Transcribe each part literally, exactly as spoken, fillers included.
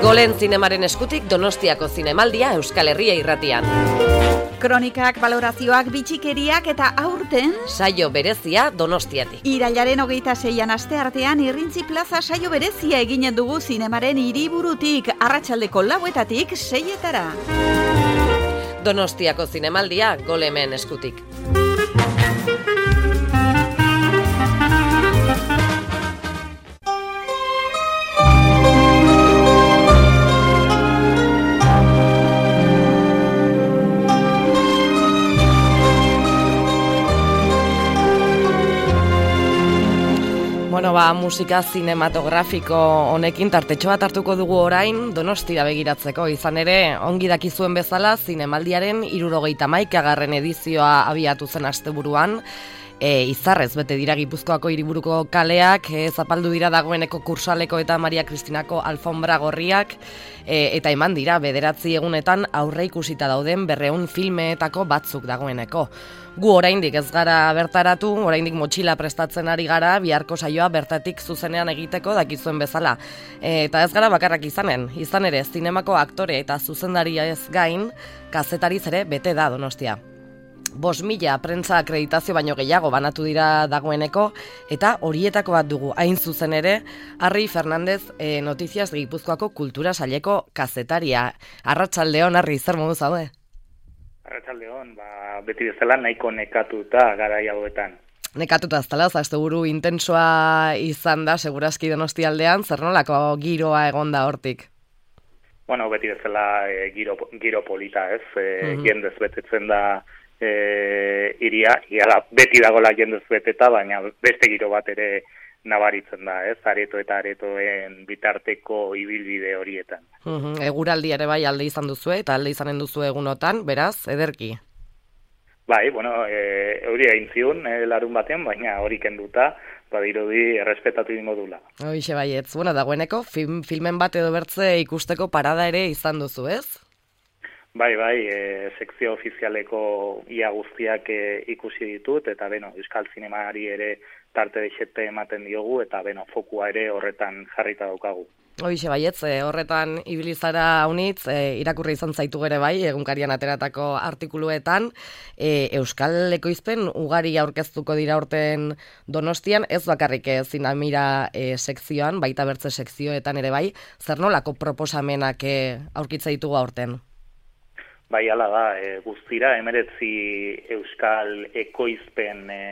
Golen zinemaren eskutik Donostiako zinemaldia Euskal Herria irratian. Kronikak, balorazioak, bitxikeriak eta aurten saio berezia Donostiatik. Irailaren hogeita seian asteartean Irrintzi Plaza saio berezia eginen dugu zinemaren hiriburutik, arratsaldeko lauetatik seietara. Donostiako zinemaldia Golemen eskutik. Bueno, ba, musika zinematografiko honekin tartetxo bat hartuko dugu orain Donostira begiratzeko. Izan ere, ongi dakizuen bezala, zinemaldiaren hirurogeita hamaikagarren edizioa abiatu zen asteburuan. E, izarrez bete dira Gipuzkoako hiriburuko kaleak, e, zapaldu dira dagoeneko Kursaleko eta Maria Kristinako alfombra gorriak, e, eta eman dira bederatzi egunetan aurre ikusita dauden berreun filmeetako batzuk dagoeneko. Gu oraindik ez gara bertaratu, oraindik motxila prestatzen ari gara, biharko saioa bertatik zuzenean egiteko dakizuen bezala. E, eta ez gara bakarrak izanen, izan ere, zinemako aktore eta zuzendaria ez gain, kazetariz ere bete da Donostia. Bost mila prentza akreditazio baino gehiago banatu dira dagoeneko, eta horietako bat dugu hain zuzen ere, Arri Fernandez e, Notiziaz Gipuzkoako kultura saileko kazetaria. Arratsaldeon, Arri, zer modu zaude? Arratsaldeon, ba, beti bezala nahiko nekatuta garai hauetan. Nekatuta ez dela, asteburu intensoa izan da, segurazki Donostialdean, zer nolako giroa egon da hortik? Bueno, beti bezala e, giro, giro polita, ez? E, Mm-hmm. Jendez betetzen da e, iria, iala, beti dagoela jendez beteta, baina beste giro bat ere nabaritzen da, ez? Areto eta aretoen bitarteko ibilbide horietan. Mm-hmm. Eguraldi ere bai alde izan duzue, eta alde izanen duzu egunotan, beraz, ederki. Bai, bueno, e, hori egin ziun e, larun batean, baina hori kenduta, badirudi errespetatu ingo dula. Hoixe baietz, bueno, dagoeneko film, filmen bat edo bertze ikusteko parada ere izan duzu, ez? Bai, bai, e, sekzio ofizialeko ia guztiak e, ikusi ditut, eta beno, Euskal Zinemari ere tarte deixete ematen diogu, eta beno, fokua ere horretan jarrita daukagu. Hoixe baietz, e, horretan ibilizara unitz, e, irakurri izan zaitu ere bai, egunkarian ateratako artikuluetan, e, Euskal ekoizpen ugari aurkeztuko dira urten Donostian, ez bakarrik e, zinamira e, sekzioan, baita bertze sekzioetan ere bai, zer nolako proposamenak e, aurkitza ditugu aurten? Bai, ala da, e, guztira, emeretzi Euskal ekoizpen e,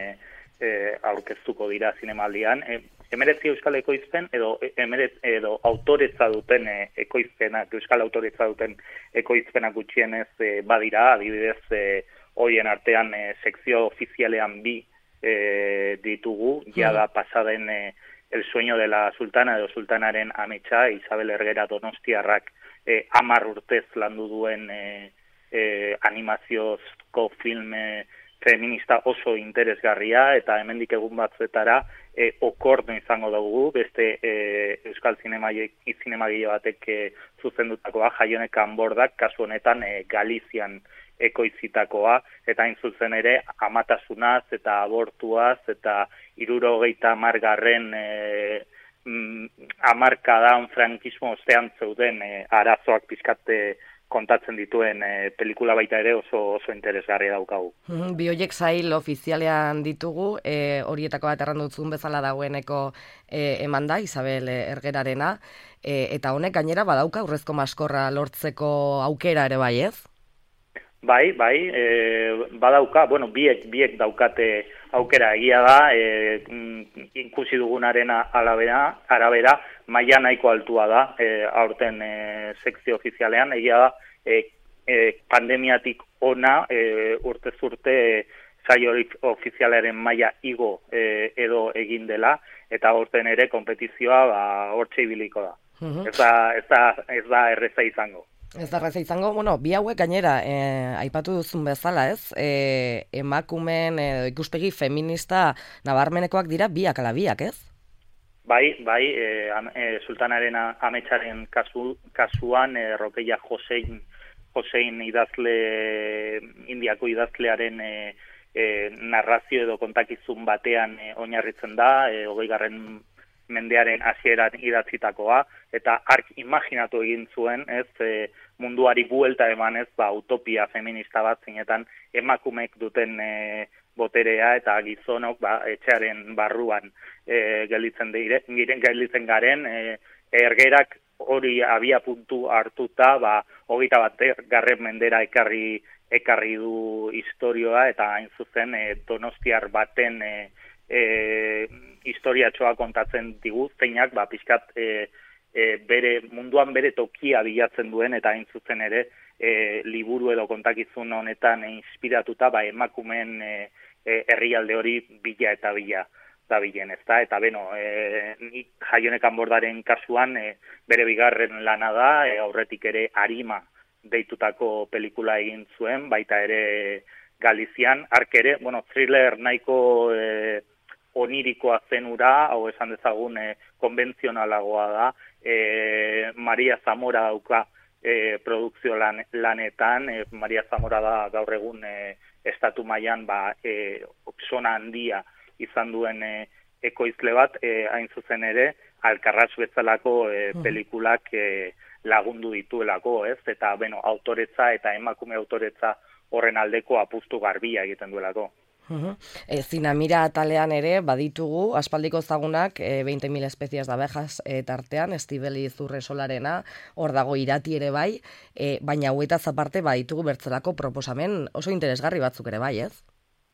e, aurkeztuko dira zinemaldian. E, emeretzi Euskal ekoizpen edo, emeret, edo autoretza duten e, ekoizpenak, Euskal autoretza duten ekoizpenak gutxienez e, badira, adibidez, e, horien artean e, sekzio ofizialean bi e, ditugu, jada pasaden e, El sueño de la sultana edo sultanaren ametsa, Isabel Ergera Donostiarrak e, amar urtez landu duen e, E, animaziozko filme feminista oso interesgarria, eta hemendik egun batzuetara e, okorno izango dugu, beste e, Euskal zinemagile batek e, zuzendutakoa, Jaionek Kanbordak, kasu honetan e, Galizian ekoizitakoa, eta hain zuzen ere amatasunaz eta abortuaz eta hirurogeita hamargarren e, mm, hamarkadan frankismo ostean zeuden e, arazoak pizkate kontatzen dituen e, pelikula baita ere oso oso interesgarria daukagu. Mm-hmm. Bi horiek sail ofizialean ditugu, e, horietako bat errandutzun bezala dagoeneko e, eman da, Isabel Ergerarena, e, eta honek gainera badauka urrezko maskorra lortzeko aukera ere bai, ez? Bai, bai, e, badauka, bueno, biek, biek daukate aukera, egia da, e, ikusi dugunaren arabera, arabera maila nahiko altua da, e, aurten e, sekzio ofizialean, egia da, e, e, pandemiatik ona, e, urtez urte e, saio ofizialaren maila igo e, edo egin dela, eta aurten ere konpetizioa ba, hortxe ibiliko da. Mm-hmm. Ez da, ez da, ez da erreza izango. Ez da erreza izango, bueno, bi hauek gainera, eh, aipatu duzun bezala, ez? Eh, emakumen eh, ikuspegi feminista nabarmenekoak dira biak ala biak, ez? Bai, bai, e, e, sultanaren ametsaren kasu, kasuan, e, Rokeia Josein, Josein idazle, indiako idazlearen e, e, narrazio edo kontakizun batean e, oinarritzen da, e, hogeigarren mendearen hasieran idatzitakoa, eta ark imaginatu egin zuen, ez, e, munduari buelta eman ez, ba, utopia feminista bat zinetan emakumek duten e, boterea eta gizonok ba, etxearen barruan e, gelditzen, dire, gelditzen garen, e, ergerak hori abia puntu hartuta, ba, hogeita bat garren mendera ekarri, ekarri du historioa, eta hain zuzen e, donostiar baten e, e, historiatxoa kontatzen digu, zeinak ba, pixkat e, e, bere, munduan bere tokia bilatzen duen, eta hain zuzen ere e, liburu edo kontakizun honetan e, inspiratuta ba, emakumeen e, e, herrialde hori bila eta bila da bilen, ezta? Eta beno, e, Jaionekan Bordaren kasuan e, bere bigarren lana da, e, aurretik ere Arima deitutako pelikula egin zuen, baita ere Galizian, ark ere, bueno, thriller nahiko e, onirikoa zenura, hau esan dezagun e, konbentzionalagoa da, e, Maria Zamora dauka e, produkzio lan, lanetan, e, Maria Zamora da gaur egun e, estatu mailan ba, e, sona handia izan duen e, ekoizle bat, e, hain zuzen ere, Alkarraz bezalako e, pelikulak e, lagundu dituelako, ez? Eta, bueno, autoretza eta emakume autoretza horren aldeko apustu garbia egiten duelako. Uh-huh. E, Zinamira atalean ere baditugu aspaldiko zagunak e, veinte mil espezies de abejas e, tartean, Estibeli Zurresolarena, hor dago Irati ere bai, e, baina hauetaz aparte baditugu bertzelako proposamen oso interesgarri batzuk ere bai, ez?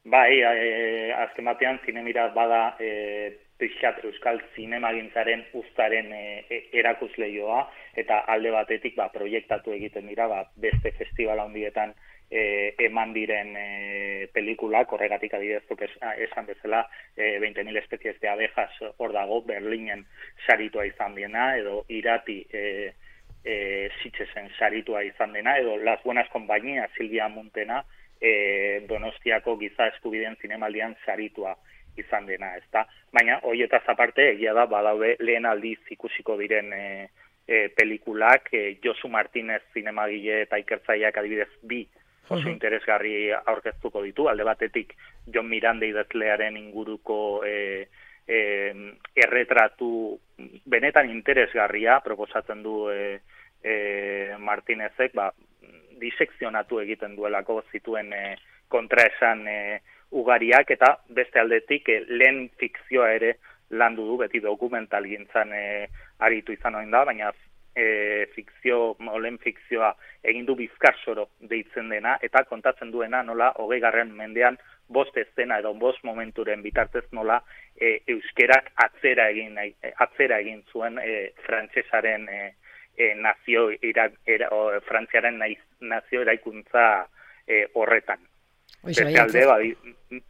Bai, e, azken batean Zinemira bada e, pixat euskal zinemagintzaren uztaren e, erakusleioa, eta alde batetik ba, proiektatu egiten dira ba, beste festival handietan E, eman diren e, pelikulak, horregatik adibidezuk es, esan bezala e, veinte mil espezies de abejas hor dago, Berlinen saritua izan dena, edo Irati e, e, Sitxesen saritua izan dena, edo Las Buenas Compañías Silvia Muntena e, Donostiako giza eskubideen zinemaldian saritua izan dena, ezta? Baina, horietaz aparte, egia da, badaude lehen aldiz ikusiko diren e, e, pelikulak, e, Josu Martinez zinemagile eta ikertzaileak adibidez bi oso interesgarri aurkeztuko ditu, alde batetik Jon Miranda idazlearen inguruko e, e, erretratu benetan interesgarria proposatzen du e, e, Martinezek, ba, disekzionatu egiten duelako zituen e, kontraesan e, ugariak, eta beste aldetik e, lehen fikzioa ere landu du, beti dokumental gintzan e, aritu izan oin da, baina E, fikzio, olen fikzioa egin du Bizkarsoro deitzen dena, eta kontatzen duena nola hogei garren mendean bost eszena edo bost momenturen bitartez nola e, euskerak atzera egin, atzera egin zuen e, frantsesaren e, e, nazio ira, era, o, frantziaren naiz, nazio eraikuntza e, horretan. Bestalde badi,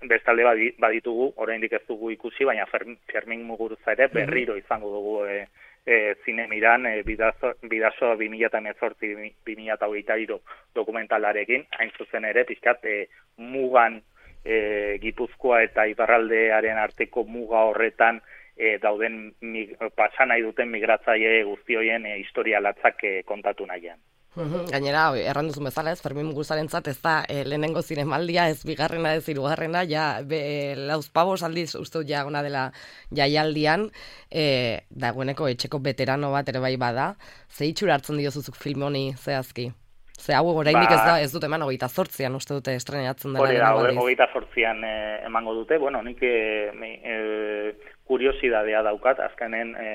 bestalde badi, baditugu, oraindik ez dugu ikusi, baina Fermin Muguruza ere berriro izango dugu e, E, Zinemiran e, bidazo, bidazo bi mila hemezortzi bi mila hogeita hiru dokumentalarekin, hain zuzen ere, pixkat, e, mugan e, Gipuzkoa eta Iparraldearen arteko muga horretan e, dauden mig, pasan nahi duten migratzaile guztioien e, historia latzak e, kontatu nahian. Gainera, erranduzun bezala ez, Fermin Muguruzarentzat ez da e, lehenengo zinemaldia, ez bigarrena, ez hirugarrena, ja, be, lauzpabos aldiz uste ja ona dela jaialdian, e, dagoeneko etxeko veterano bat ere bai bada, ze itxura hartzen diozuzuk film honi zehazki? Ze hau oraindik ba, ez da, ez dut eman hogeita zortzian uste dute estrenatzen dela. Hori da, hogeita zortzian e, emango dute, bueno, nik e, e, kuriosidadea daukat, azkenen e,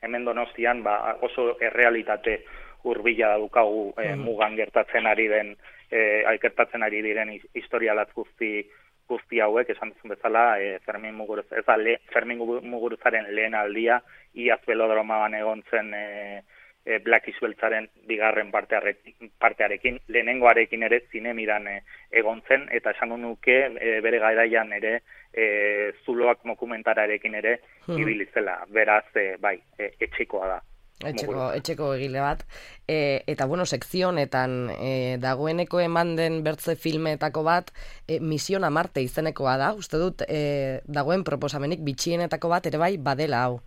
hemen Donostian ba, oso errealitate hurbila daukagu e, mugan gertatzen ari den, e, gertatzen ari diren historialatz guzti guzti hauek, esan duzun bezala, e, Fermin Muguruz, ez da, le, Fermin Muguruzaren lehen aldia, iaz belodromaan egon zen e, e, Black Isbeltzaren bigarren partearekin, partearekin, lehenengoarekin ere Zinemiran e, egon zen, eta esan nuke e, bere garaian ere e, zuloak dokumentararekin ere hmm. ibilizela, beraz, e, bai, e, etxekoa da. Etxeko, etxeko egile bat. E, eta, bueno, sekzio honetan e, dagoeneko eman den bertze filmetako bat, e, Misión a Marte izenekoa da, uste dut, e, dagoen proposamenik bitxienetako bat ere bai badela hau.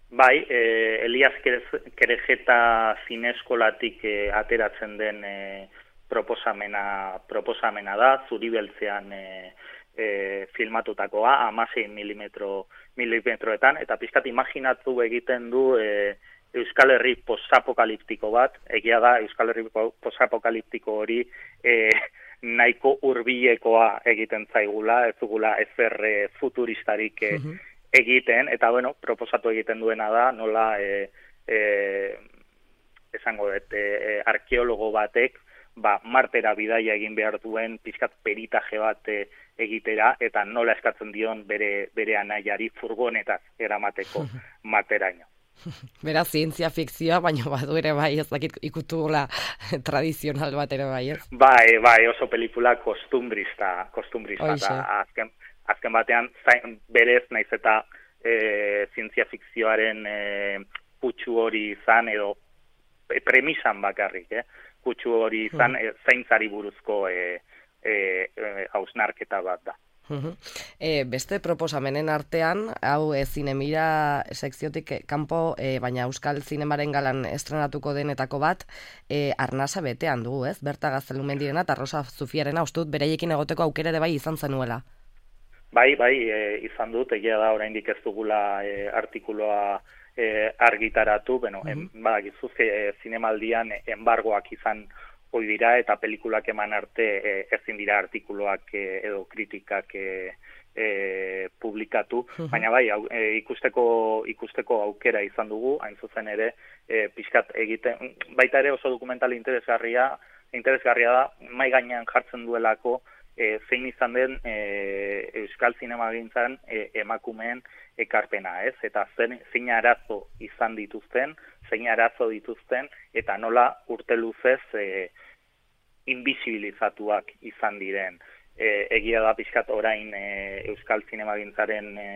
Bai, e, Elias Kerejeta zineskolatik e, ateratzen den e, proposamena, proposamena da, Zuribeltzean e, e, filmatutakoa, hamasei milimetro, milimetroetan, eta pixkat imaginatu egiten du e, Euskal Herri posapokaliptiko bat, egia da Euskal Herri posapokaliptiko hori e, nahiko hurbilekoa egiten zaigula, ez dugula ezer e, futuristarik e, uh-huh. egiten, eta bueno, proposatu egiten duena da, nola e, e, esango dut, e, arkeologo batek, ba, Martera bidaia egin behar duen pixkat peritaje bat e, egitera, eta nola eskatzen dion bere, bere anaiari furgonetaz eramateko Marteraino. Beraz, zientzia fikzioa, baina badu ere bai, ez dakit ikutugula tradizional bat ere bai, ez? Bai, bai, oso pelikula kostumbrista, kostumbrista, eta azken, azken batean, zain, berez, naiz eta e, zientzia fikzioaren e, kutsu hori izan, edo e, premisan bakarrik, eh? Kutsu hori izan, hmm. e, zaintzari buruzko e, e, e, hausnarketa bat da. Uh-huh. E, beste proposamenen artean, hau e, zinemira sekziotik kanpo, e, baina Euskal Zinemaren galan estrenatuko denetako bat, e, arnasa betean dugu, ez? Berta Gaztelumendirena eta Rosa Zufiarena, uste dut beraiekin egoteko aukera ere bai izan zenuela. Bai, bai, e, izan dut, egia da oraindik ez dugula e, artikuloa e, argitaratu, bueno, uh-huh. en, badakizu, e, zinemaldian embargoak izan hoi dira, eta pelikulak eman arte e, ezin dira artikuloak e, edo kritikak e, e, publikatu, uh-huh. baina bai, au, e, ikusteko, ikusteko aukera izan dugu, hain zuzen ere, e, pixkat egiten, baita ere oso dokumental interesgarria, interesgarria da, mai gainean jartzen duelako, e, zein izan den e, Euskal Zinemagintzan e, emakumeen ekarpena, ez? Eta zein, zein arazo izan dituzten, zein arazo dituzten, eta nola urte luzez e, invisibilizatuak izan diren. E, egia da pixkat orain e, Euskal Zinemagintzaren e,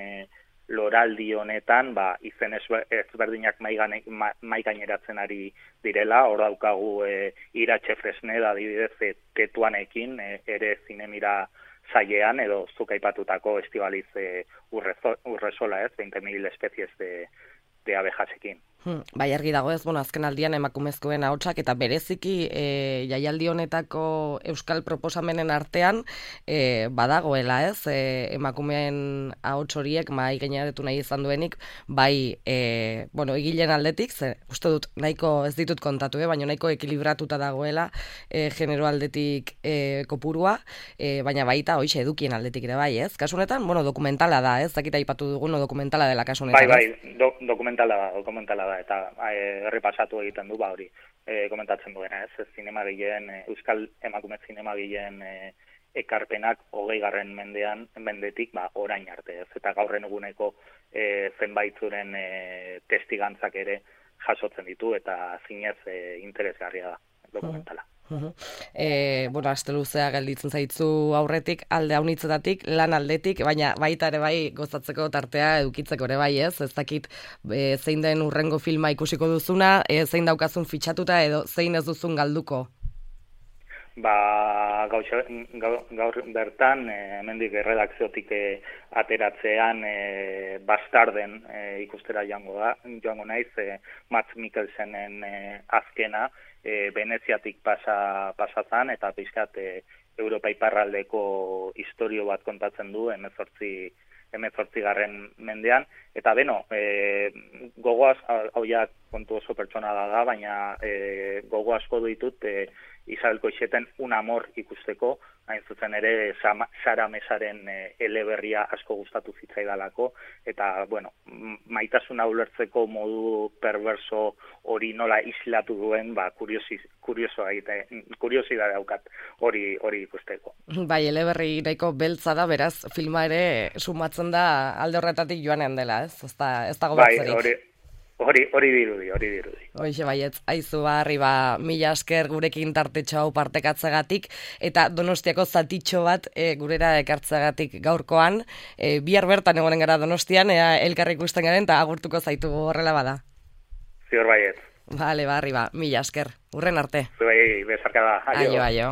loraldi honetan, ba, izen ezberdinak mai gaineratzen ari direla, hor daukagu e, Iratxe Fresneda adibidez e, Tetuanekin, e, ere zinemira zailean, edo zuk aipatutako Estibaliz e, Urresola, ez, veinte mil espezies de, de abejasekin. Hmm, bai argi dago ez, bueno, azken aldian emakumezkoen ahotsak eta bereziki e, jaialdi honetako euskal proposamenen artean e, badagoela ez, e, emakumeen ahots horiek mai gaineratu nahi izan duenik, bai e, bueno, egileen aldetik, ze uste dut nahiko ez ditut kontatu, eh, baina nahiko ekilibratuta dagoela e, genero aldetik e, kopurua, e, baina baita hoize edukien aldetik ere bai ez, kasu honetan, bueno, dokumentala da ez, zakita aipatu dugun dokumentala dela kasu honetan. Bai, bai, do, dokumentala da, dokumentala da, eta errepasatu egiten du, ba hori, e, komentatzen duena, ez, zinemagileen, Euskal Emakume zinemagileen e, ekarpenak hogei garren mendean, mendetik, ba, orain arte, ez, eta gaurren eguneko e, zenbaitzuren e, testigantzak ere jasotzen ditu, eta zinez e, interesgarria da, dokumentala. Uh-huh. E, bueno, aste luzea gelditzen zaitzu aurretik, alde haunitzetatik, lan aldetik, baina baita ere bai gozatzeko tartea edukitzeko ere bai ez, ez dakit e, zein den urrengo filma ikusiko duzuna, e, zein daukazun fitxatuta edo zein ez duzun galduko? Ba, gaur, gaur bertan, e, hemendik erredakziotik e, ateratzean e, Bastarden e, ikustera joango da, joango naiz, e, Mads Mikkelsenen e, azkena, E, Veneziatik pasa, pasazan, eta pixkat e, Europa iparraldeko historio bat kontatzen du, hemezortzi garren mendean, eta beno, e, gogoaz, hau ja kontu oso pertsona da, baina e, gogo asko ditut e, Isabel Koixeten Un amor ikusteko, hain zuzen ere Sara Mesaren e, eleberria asko gustatu zitzaidalako, eta, bueno, maitasuna ulertzeko modu perverso hori nola islatu duen, ba, kuriosi, kuriosoa egite, kuriosidade daukat hori hori ikusteko. Bai, eleberri nahiko beltza da, beraz, filma ere sumatzen da alde horretatik joanean dela, ez? Ez da, ez dago batzerik. Bai, hori, hori, hori dirudi, hori dirudi. Hoixe baietz, aizu barri ba, mila esker gurekin tartetxo hau partekatzegatik, eta Donostiako zatitxo bat e, gurera ekartzegatik gaurkoan, e, bihar bertan egonen gara Donostian, ea elkarri ikusten garen, eta agurtuko zaitu horrela bada. Zior baietz. Bale, barri ba, mila esker, urren arte. Bai, bezarka da, aio. Aio, aio.